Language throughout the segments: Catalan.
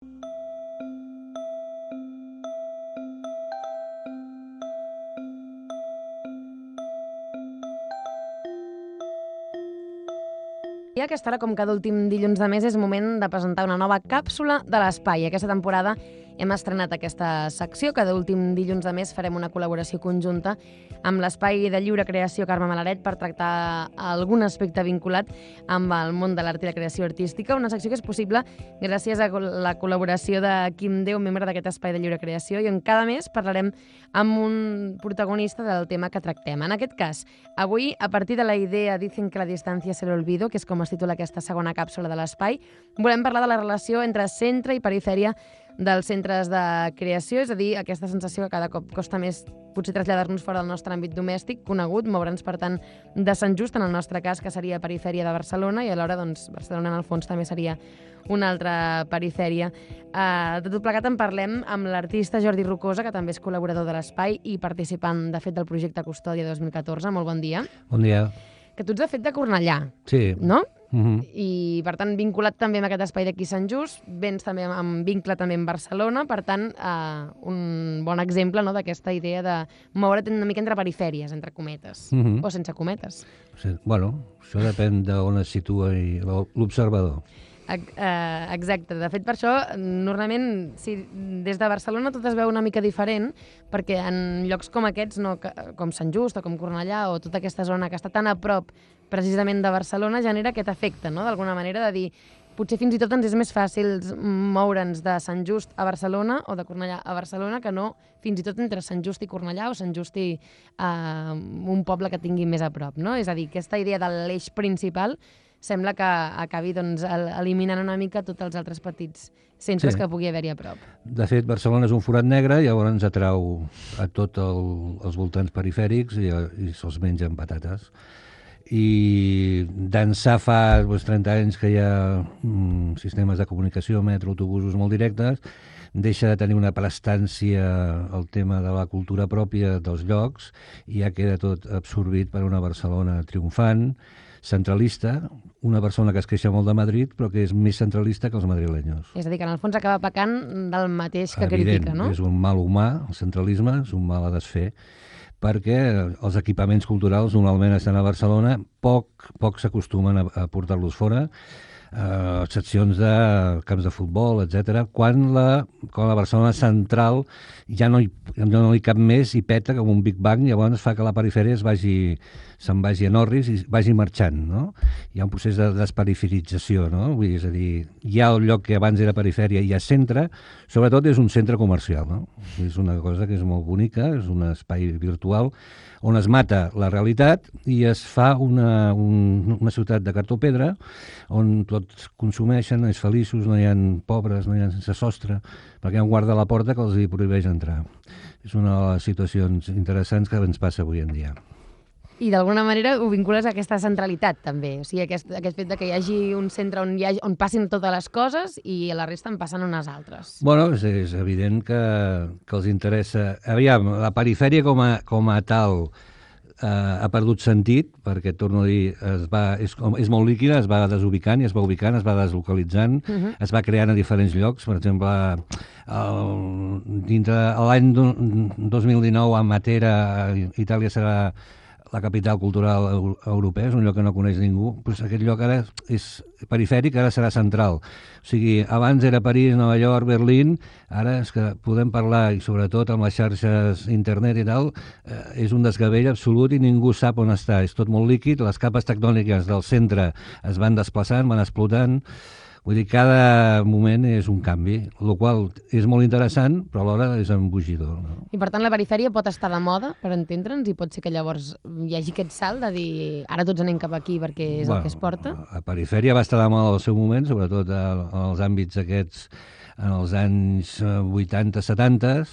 I a aquesta hora, com cada últim dilluns de mes, és moment de presentar una nova càpsula de l'espai. Aquesta temporada hem estrenat aquesta secció. Cada últim dilluns de mes farem una col·laboració conjunta amb l'Espai de Lliure Creació Carme Malaret per tractar algun aspecte vinculat amb el món de l'art i la creació artística. Una secció que és possible gràcies a la col·laboració de Quim Déu, membre d'aquest Espai de Lliure Creació, i on cada mes parlarem amb un protagonista del tema que tractem. En aquest cas, avui, a partir de la idea Dicen que la distància se l'olvido, que és com es titula aquesta segona càpsula de l'espai, volem parlar de la relació entre centre i perifèria dels centres de creació, és a dir, aquesta sensació que cada cop costa més potser traslladar-nos fora del nostre àmbit domèstic, conegut, moure'ns, per tant, de Sant Just, en el nostre cas, que seria perifèria de Barcelona, i alhora, doncs, Barcelona, en el fons, també seria una altra perifèria. De tot plegat en parlem amb l'artista Jordi Rocosa, que també és col·laborador de l'Espai i participant, de fet, del projecte Custòdia 2014. Molt bon dia. Bon dia. Que tu ets, de fet, de Cornellà, Sí. no? I, per tant, vinculat també amb aquest espai d'aquí Sant Just, vens també amb vincle també amb Barcelona, per tant, un bon exemple, no?, d'aquesta idea de moure't una mica entre perifèries, entre cometes, o sense cometes. Sí. Bueno, això depèn d'on es situa l'observador. Exacte. De fet, per això, normalment, des de Barcelona tot es veu una mica diferent, perquè en llocs com aquests, com Sant Just o com Cornellà, o tota aquesta zona que està tan a prop precisament de Barcelona, genera aquest efecte, no?, d'alguna manera, de dir, potser fins i tot ens és més fàcil moure'ns de Sant Just a Barcelona o de Cornellà a Barcelona que no fins i tot entre Sant Just i Cornellà o Sant Just i un poble que tingui més a prop, no? És a dir, aquesta idea de l'eix principal sembla que acabi, doncs, eliminant una mica tots els altres petits centres que pugui haver-hi a prop. De fet, Barcelona és un forat negre, llavors ens atrau a tots els voltants perifèrics i se'ls mengen patates. I d'ençà fa 30 anys que hi ha sistemes de comunicació, metro, autobusos molt directes, deixa de tenir una prestància el tema de la cultura pròpia dels llocs i ja queda tot absorbit per una Barcelona triomfant, centralista, una persona que es queixa molt de Madrid però que és més centralista que els madrilenyos. És a dir, que en el fons acaba pecant del mateix que critica, no? És un mal humà, el centralisme, és un mal a desfer, perquè els equipaments culturals normalment estan a Barcelona, poc s'acostumen a portar-los fora, seccions de camps de futbol, etc. Quan la Barcelona central ja no hi cap més i peta com un Big Bang, llavors fa que la perifèria se'n vagi a Norris i vagi marxant, no? Hi ha un procés de desperiferització, no? Vull dir, és a dir, hi ha el lloc que abans era perifèria i hi ha centre, sobretot és un centre comercial, no? És una cosa que és molt bonica, és un espai virtual on es mata la realitat i es fa una ciutat de cartó-pedra on tots consumeixen, és feliços, no hi ha pobres, no hi ha sense sostre, perquè hi ha un guarda a la porta que els hi prohibeix entrar. És una de les situacions interessants que ens passa avui en dia. I d'alguna manera ho vincules a aquesta centralitat, també. O sigui, aquest fet que hi hagi un centre on passin totes les coses i a la resta en passen unes altres. Bueno, és evident que els interessa... Aviam, la perifèria com a tal ha perdut sentit, perquè, torno a dir, és molt líquida, es va desubicant i es va ubicant, es va deslocalitzant, es va creant a diferents llocs. Per exemple, dintre l'any 2019 a Matera, Itàlia serà la capital cultural europea, és un lloc que no coneix ningú, doncs aquest lloc ara és perifèric, ara serà central. O sigui, abans era París, Nova York, Berlín, ara és que podem parlar, i sobretot amb les xarxes internet i tal, és un desgavell absolut i ningú sap on està. És tot molt líquid, les capes tectòniques del centre es van desplaçant, van explotant. Vull dir, cada moment és un canvi, el qual és molt interessant, però alhora és embogidor. No? I per tant la perifèria pot estar de moda, per entendre'ns, i pot ser que llavors hi hagi aquest salt de dir ara tots anem cap aquí perquè és el que es porta? La perifèria va estar de moda al seu moment, sobretot en els àmbits aquests, en els anys 80-70,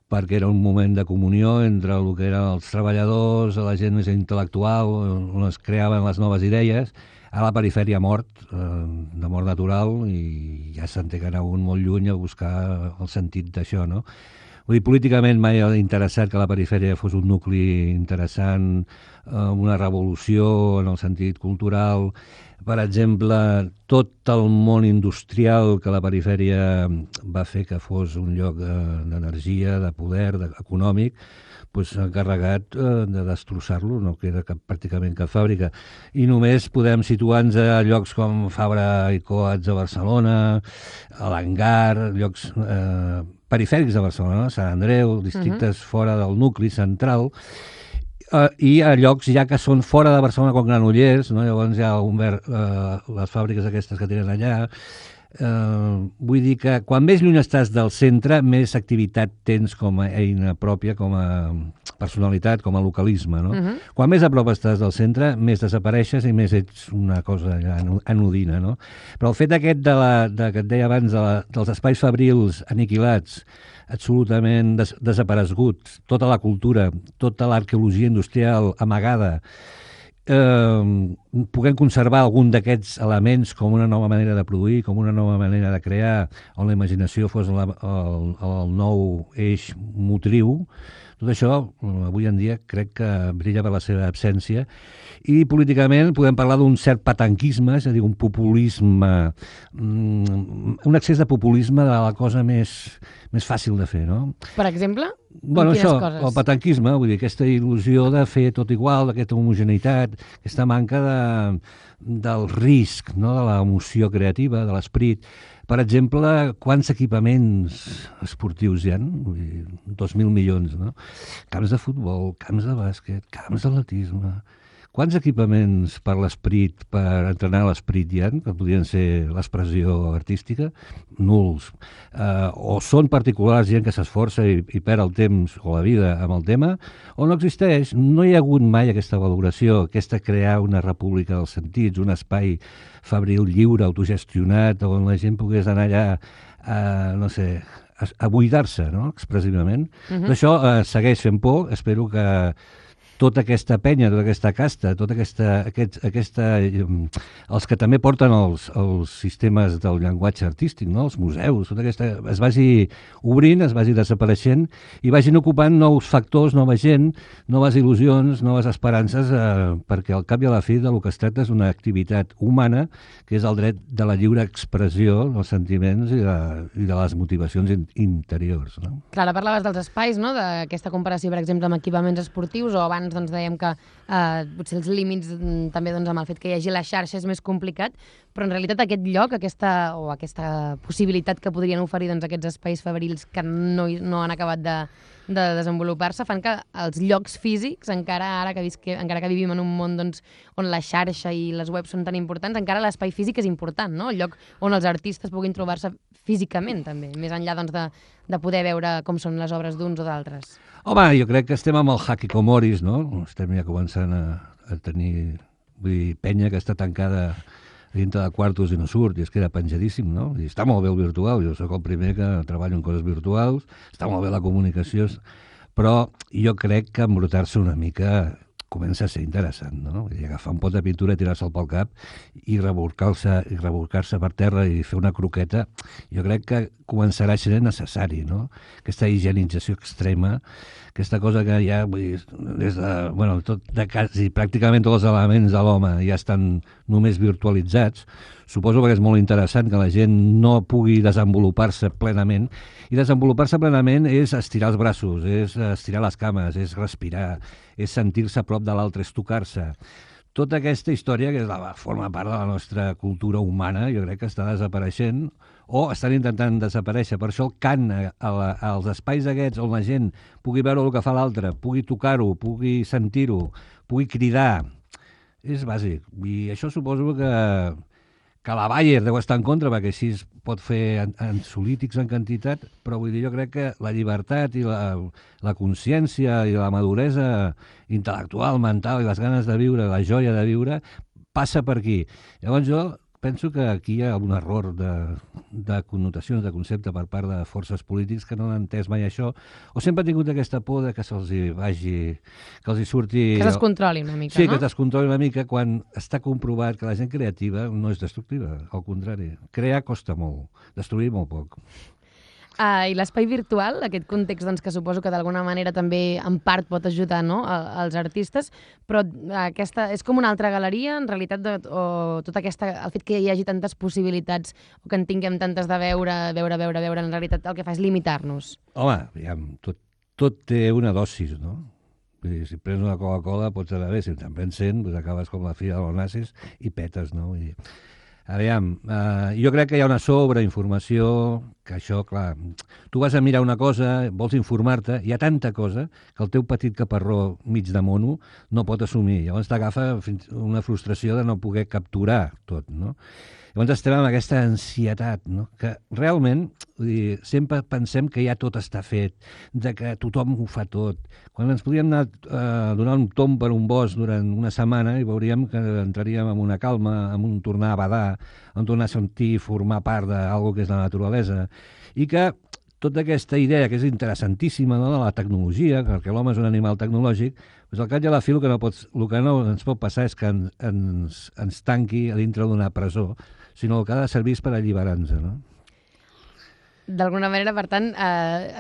perquè era un moment de comunió entre el que eren els treballadors, la gent més intel·lectual, on es creaven les noves idees. A la perifèria ha mort, de mort natural, i ja s'han de anar un molt lluny a buscar el sentit d'això, no? Vull dir, políticament mai ha interessat que la perifèria fos un nucli interessant, una revolució en el sentit cultural. Per exemple, tot el món industrial que la perifèria va fer que fos un lloc d'energia, de poder, econòmic, s'ha encarregat de destrossar-lo, no queda pràcticament cap fàbrica. I només podem situar-nos a llocs com Fabra i Coats a Barcelona, a l'Hangar, llocs perifèrics de Barcelona, Sant Andreu, districtes fora del nucli central, i a llocs ja que són fora de Barcelona com Granollers, no? Llavors hi ha les fàbriques aquestes que tenen allà. Vull dir que quan més lluny estàs del centre, més activitat tens com a eina pròpia, com a personalitat, com a localisme, no? Quan més a prop estàs del centre, més desapareixes i més ets una cosa anodina, no? Però el fet aquest que et deia abans dels espais fabrils aniquilats, absolutament desapareguts, tota la cultura, tota l'arqueologia industrial amagada, puguem conservar algun d'aquests elements com una nova manera de produir, com una nova manera de crear, on la imaginació fos el nou eix motriu. Tot això, avui en dia, crec que brilla per la seva absència. I políticament podem parlar d'un cert patanquisme, és a dir, un populisme, un excés de populisme de la cosa més fàcil de fer, no? Per exemple? Bueno, això, el patanquisme, vull dir, aquesta il·lusió de fer tot igual, d'aquesta homogeneïtat, aquesta manca del risc, no? De l'emoció creativa, de l'esperit. Per exemple, quants equipaments esportius hi ha? 2.000 milions, no? Camps de futbol, camps de bàsquet, camps d'atletisme. Quants equipaments per l'esperit, per entrenar l'esperit hi ha, que podrien ser l'expressió artística? Nuls. O són particulars, gent que s'esforça i perd el temps o la vida amb el tema, o no existeix. No hi ha hagut mai aquesta valoració, aquesta crear una república dels sentits, un espai fabril lliure, autogestionat, on la gent pogués anar allà a buidar-se, no?, expressivament. Això segueix fent por. Espero que tota aquesta penya, tota aquesta casta, els que també porten els sistemes del llenguatge artístic, no? Els museus, tota aquesta, es vagi obrint, es vagi desapareixent i vagin ocupant nous factors, nova gent, noves il·lusions, noves esperances, perquè al cap i a la fi del que es tracta és una activitat humana, que és el dret de la lliure expressió dels sentiments i de les motivacions interiors. No? Clar, ara parlaves dels espais, no? D'aquesta comparació, per exemple, amb equipaments esportius, o abans doncs, dèiem que potser els límits també doncs, amb el fet que hi hagi la xarxa és més complicat, però en realitat aquest lloc, aquesta possibilitat que podrien oferir doncs, aquests espais fabrils que no han acabat de desenvolupar-se fan que els llocs físics, encara que vivim en un món doncs, on la xarxa i les webs són tan importants, encara l'espai físic és important, no? El lloc on els artistes puguin trobar-se físicament també, més enllà doncs, de poder veure com són les obres d'uns o d'altres. Home, jo crec que estem amb el Hakikomoris, no? Estem ja començant a tenir penya que està tancada dintre de quartos i no surt, i es queda penjadíssim, no? I està molt bé el virtual, jo sóc el primer que treballo en coses virtuals, està molt bé la comunicació, però jo crec que embrutar-se una mica comença a ser interessant, no? I agafar un pot de pintura, tirar-se'l pel cap i rebolcar-se per terra i fer una croqueta, jo crec que començarà a ser necessari, no? Aquesta higienització extrema, aquesta cosa que ja, quasi pràcticament tots els elements de l'home ja estan només virtualitzats. Suposo que és molt interessant que la gent no pugui desenvolupar-se plenament, i desenvolupar-se plenament és estirar els braços, és estirar les cames, és respirar, és sentir-se a prop de l'altre, és tocar-se. Tota aquesta història, que forma part de la nostra cultura humana, jo crec que està desapareixent, o estan intentant desaparèixer. Per això el cant als espais aquests on la gent pugui veure el que fa l'altre, pugui tocar-ho, pugui sentir-ho, pugui cridar, és bàsic. I això suposo que la Bayer deu estar en contra, perquè així es pot fer ansiolítics en quantitat, però vull dir, jo crec que la llibertat i la consciència i la maduresa intel·lectual, mental, i les ganes de viure, la joia de viure, passa per aquí. Llavors jo penso que aquí hi ha un error de connotacions, de concepte per part de forces polítics que no han entès mai això, o sempre han tingut aquesta por de que se'ls vagi, que els hi surti... Que es descontroli una mica, sí, no? Que es descontroli una mica, quan està comprovat que la gent creativa no és destructiva, al contrari. Crear costa molt, destruir molt poc. I l'espai virtual, aquest context doncs, que suposo que d'alguna manera també en part pot ajudar, no?, als artistes, però aquesta és com una altra galeria, en realitat, o tota aquesta, el fet que hi hagi tantes possibilitats o que en tinguem tantes de veure, en realitat el que fa és limitar-nos. Home, aviam, tot té una dosis, no? Vull dir, si prens una Coca-Cola pots anar bé, si te'n prens 100, doncs acabes com la filla dels nazis i petes, no? Vull dir, aviam, jo crec que hi ha una sobreinformació, que això, clar, tu vas a mirar una cosa, vols informar-te, hi ha tanta cosa que el teu petit caparró mig de mono no pot assumir. Llavors t'agafa una frustració de no poder capturar tot, no? Llavors estem amb aquesta ansietat, no? Que realment, vull dir, sempre pensem que ja tot està fet, de que tothom ho fa tot. Quan ens podíem anar a donar un tomb per un bosc durant una setmana i veuríem que entraríem en una calma, en un tornar a badar, en tornar a sentir formar part d'algo que és la naturalesa, i que tota aquesta idea, que és interessantíssima, no?, de la tecnologia, perquè l'home és un animal tecnològic, doncs al cap i a la fi el que no ens pot passar és que ens tanqui a dintre d'una presó, sinó que ha de servir per alliberar-nos, no? D'alguna manera, per tant,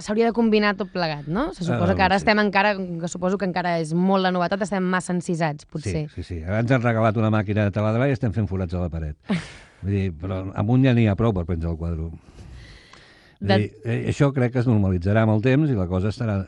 s'hauria de combinar tot plegat, no? Se suposa que ara sí. estem encara, que suposo que encara és molt la novetat, estem massa encisats, potser. Sí. Ara ens han regalat una màquina de taladrar i estem fent forats a la paret. Vull dir, però amunt ja n'hi ha prou per penjar el quadre. Això crec que es normalitzarà amb el temps i la cosa serà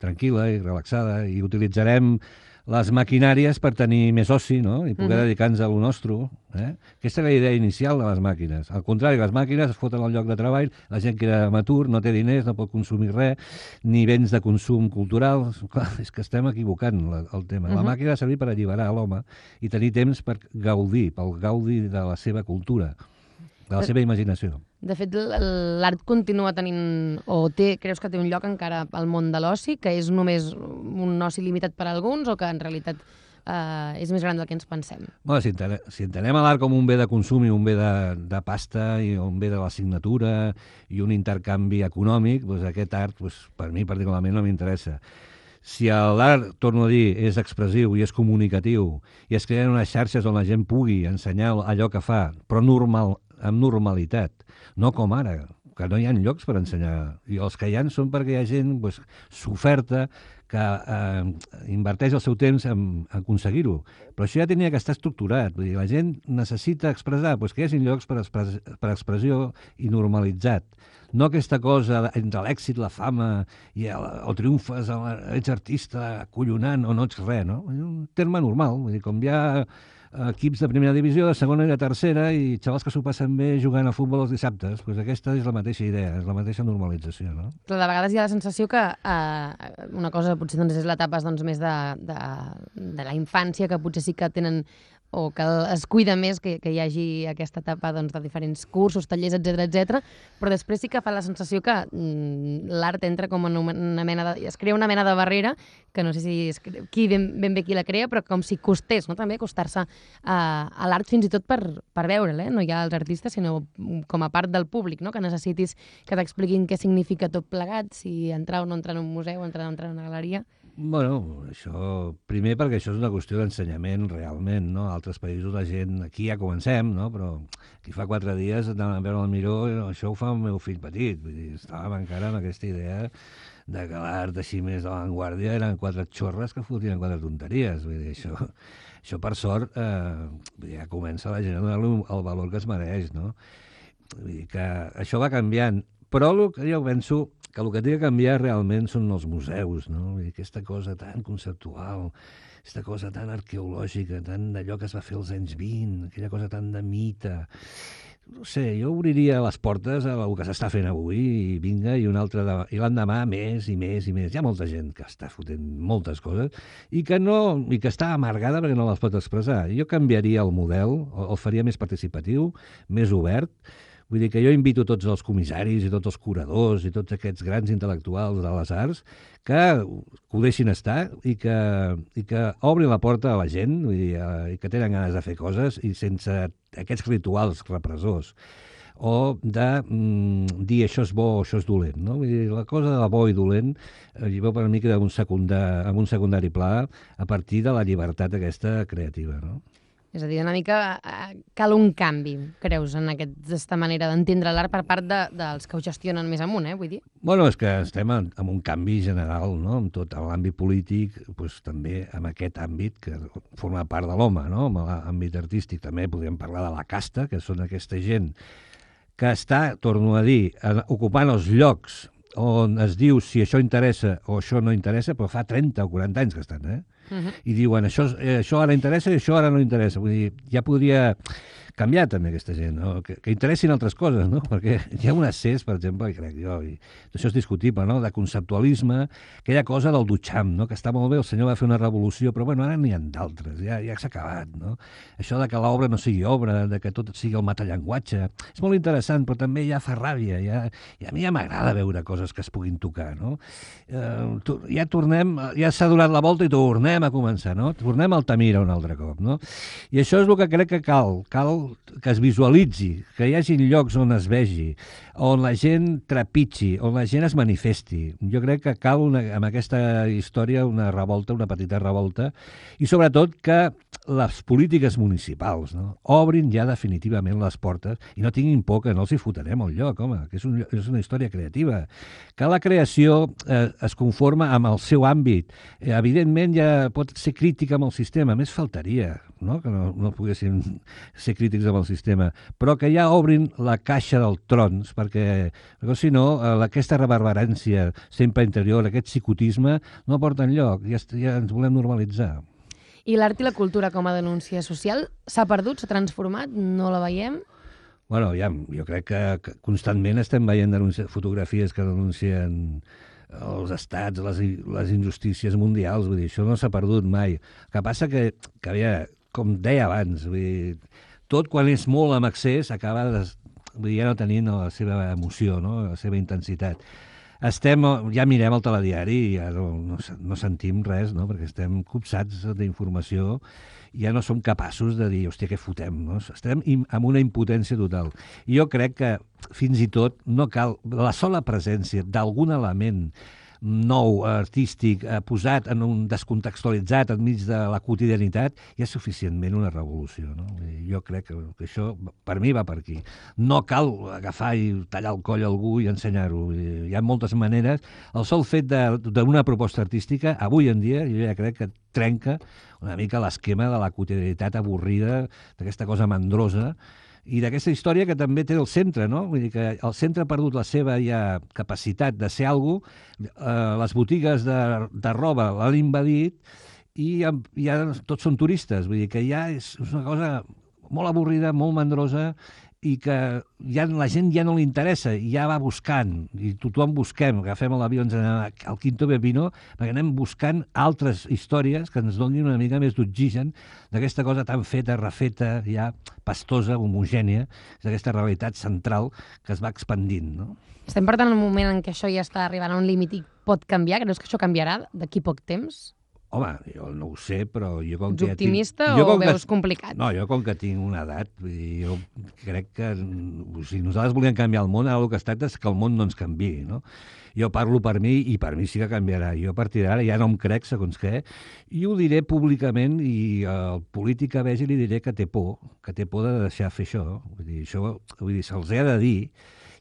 tranquil·la i relaxada i utilitzarem les maquinàries per tenir més oci, no?, i poder dedicar-nos a lo nostre. Aquesta és la idea inicial de les màquines. Al contrari, les màquines es foten al lloc de treball, la gent queda amateur, no té diners, no pot consumir res, ni béns de consum cultural. Clar, és que estem equivocant el tema. La màquina ha de servir per alliberar l'home i tenir temps per gaudir, pel gaudi de la seva cultura, de la seva imaginació. De fet, l'art continua tenint, creus que té un lloc encara al món de l'oci, que és només un oci limitat per a alguns o que en realitat és més gran del que ens pensem? Bueno, si entenem l'art com un bé de consum i un bé de pasta i un bé de la signatura i un intercanvi econòmic, doncs aquest art, per mi particularment, no m'interessa. Si l'art, torno a dir, és expressiu i és comunicatiu i es creen unes xarxes on la gent pugui ensenyar allò que fa, però amb normalitat, no com ara, que no hi ha llocs per ensenyar. I els que hi ha són perquè hi ha gent s'oferta que inverteix el seu temps en aconseguir-ho. Però això ja tenia que estar estructurat. Vull dir, la gent necessita expressar, que hi hagi llocs per expressió i normalitzat. No aquesta cosa entre l'èxit, la fama, i o triomfes, ets artista, acollonant, o no ets res, no? Un terme normal. Vull dir, com hi ha equips de primera divisió, de segona i de tercera, i xavals que s'ho passen bé jugant a futbol els dissabtes. Doncs aquesta és la mateixa idea, és la mateixa normalització, no? Però de vegades hi ha la sensació que una cosa potser doncs, és l'etapa més de la infància, que potser sí que tenen o que es cuida més que hi hagi aquesta etapa doncs, de diferents cursos, tallers, etc. Però després sí que fa la sensació que l'art entra com en una mena de... es crea una mena de barrera, que no sé si és ben bé qui la crea, però com si costés, no?, també acostar-se a l'art fins i tot per veure'l, no ja als artistes, sinó com a part del públic, no?, que necessitis que t'expliquin què significa tot plegat, si entrar o no entrar en un museu, entrar o no entrar en una galeria. Bueno, això, primer perquè això és una qüestió d'ensenyament realment, no? A altres països la gent, aquí ja comencem, no? Però aquí fa 4 dies anàvem a veure el Miró, això ho fa el meu fill petit, vull dir, estàvem encara amb aquesta idea de que l'art així més d'avantguàrdia eren 4 xorres que fotien 4 tonteries, vull dir, això per sort ja comença la gent a donar-li el valor que es mereix, no? Vull dir que això va canviant, però el que jo penso que el que té que canviar realment són els museus, no? I aquesta cosa tan conceptual, aquesta cosa tan arqueològica, tan d'allò que es va fer als anys 20, aquella cosa tan de mite. No sé, jo obriria les portes a el que s'està fent avui i vinga, i l'endemà més i més i més. Hi ha molta gent que està fotent moltes coses i que està amargada perquè no les pot expressar. Jo canviaria el model, el faria més participatiu, més obert. Vull dir que jo invito tots els comissaris i tots els curadors i tots aquests grans intel·lectuals de les arts que ho deixin estar i que obrin la porta a la gent, vull dir, i que tenen ganes de fer coses i sense aquests rituals repressors o de dir això és bo o això és dolent, no? Vull dir, la cosa de bo i dolent jo per mi queda en un secundari pla a partir de la llibertat aquesta creativa, no? És a dir, una mica cal un canvi, creus, en aquesta manera d'entendre l'art per part dels que ho gestionen més amunt, vull dir? Bueno, és que estem en un canvi general, no?, en tot l'àmbit polític, doncs, també en aquest àmbit que forma part de l'home, no?, en l'àmbit artístic. També podríem parlar de la casta, que són aquesta gent que està, torno a dir, ocupant els llocs on es diu si això interessa o això no interessa, però fa 30 o 40 anys que estan, I diuen això ara interessa i això ara no interessa. Vull dir, ja podria canviar també aquesta gent, no? Que interessin altres coses, no? Perquè hi ha un accés, per exemple, i crec jo, i això és discutible, no?, de conceptualisme, aquella cosa del Duchamp, no?, que està molt bé, el senyor va fer una revolució, però bueno, ara n'hi ha d'altres, ja s'ha acabat, no? Això de que l'obra no sigui obra, de que tot sigui el metallenguatge, és molt interessant, però també ja fa ràbia, i a mi ja m'agrada veure coses que es puguin tocar, no? Ja tornem, ja s'ha donat la volta i tornem a començar, no? Tornem al Tamira un altre cop, no? I això és el que crec que cal que es visualitzi, que hi hagi llocs on es vegi, on la gent trepitgi, on la gent es manifesti. Jo crec que cal amb aquesta història una revolta, una petita revolta, i sobretot que les polítiques municipals, no?, obrin ja definitivament les portes i no tinguin por que no els hi fotrem al lloc, home, que és una història creativa. Que la creació es conforma amb el seu àmbit. Evidentment ja pot ser crítica amb el sistema, més faltaria, no?, que no poguéssim ser crítics amb el sistema, però que ja obrin la caixa dels trons, perquè si no, aquesta reverberància sempre interior, aquest psicotisme, no porta enlloc, ja ens volem normalitzar. I l'art i la cultura com a denúncia social s'ha perdut, s'ha transformat, no la veiem? Bueno, jo crec que constantment estem veient fotografies que denuncien els estats, les injustícies mundials, vull dir, això no s'ha perdut mai. El que passa que com deia abans, vull dir, tot quan és molt en excés acaba ja no tenint la seva emoció, no?, la seva intensitat. Ja mirem el telediari i ja no sentim res, no?, perquè estem copsats d'informació i ja no som capaços de dir, hòstia, què fotem, no? Estem amb una impotència total. I jo crec que fins i tot no cal la sola presència d'algun element nou, artístic, posat descontextualitzat enmig de la quotidianitat, ja és suficientment una revolució, no? Jo crec que això, per mi, va per aquí. No cal agafar i tallar el coll a algú i ensenyar-ho. Hi ha moltes maneres. El sol fet d'una proposta artística, avui en dia, jo ja crec que trenca una mica l'esquema de la quotidianitat avorrida, d'aquesta cosa mandrosa, i d'aquesta història que també té el centre, no? Vull dir que el centre ha perdut la seva ja capacitat de ser algú, les botigues de roba l'han invadit i ja tots són turistes, vull dir que ja és una cosa molt avorrida, molt mandrosa, i que la gent ja no li interessa, ja va buscant, i tothom busquem, agafem l'avió, ens anem al Quinto Pepino, perquè anem buscant altres històries que ens donin una mica més d'oxigen d'aquesta cosa tan feta, refeta, ja pastosa, homogènia, d'aquesta realitat central que es va expandint, no? Estem per tant en un moment en què això ja està arribant a un límit i pot canviar? Creus que això canviarà d'aquí poc temps? Home, jo no ho sé, però jo com que... Ets optimista o veus complicat? No, jo com que tinc una edat, jo crec que si nosaltres volíem canviar el món, ara el que es tracta és que el món no ens canviï, no? Jo parlo per mi i per mi sí que canviarà. Jo a partir d'ara ja no em crec segons què, i ho diré públicament i al polític que vegi li diré que té por de deixar fer això. Vull dir, se'ls ha de dir.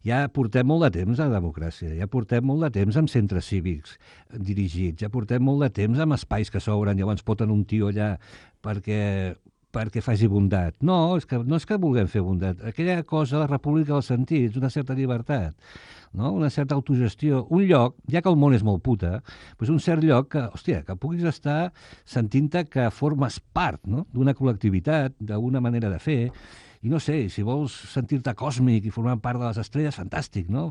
Ja portem molt de temps a la democràcia, ja portem molt de temps amb centres cívics dirigits, ja portem molt de temps amb espais que s'obren, llavors poten un tio allà perquè faci bondat. No és que vulguem fer bondat. Aquella cosa, la república dels sentits, una certa llibertat, no? Una certa autogestió. Un lloc, ja que el món és molt puta, doncs un cert lloc que puguis estar sentint-te que formes part, no?, d'una col·lectivitat, d'una manera de fer. I no sé, si vols sentir-te còsmic i formar part de les estrelles, fantàstic, no?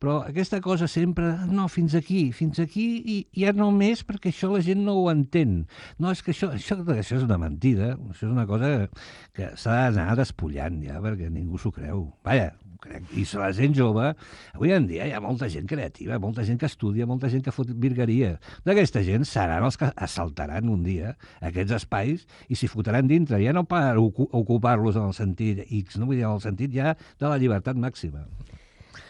Però aquesta cosa sempre, no, fins aquí, i ja no més perquè això la gent no ho entén. No, és que això és una mentida, això és una cosa que s'ha d'anar despullant ja, perquè ningú s'ho creu. Vaja, crec. I la gent jove, avui en dia hi ha molta gent creativa, molta gent que estudia, molta gent que fot virgueria. D'aquesta gent seran els que assaltaran un dia aquests espais i s'hi fotran dintre, ja no per ocupar-los en el sentit X, no? Vull dir, en el sentit ja de la llibertat màxima.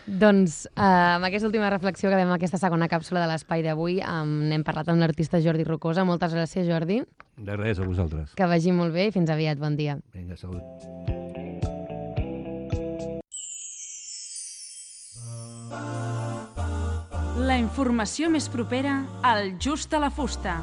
Doncs amb aquesta última reflexió acabem aquesta segona càpsula de l'espai d'avui. N'hem parlat amb l'artista Jordi Rocosa. Moltes gràcies, Jordi. De res, a vosaltres. Que vagi molt bé i fins aviat. Bon dia. Vinga, salut. La informació més propera al Just a la Fusta.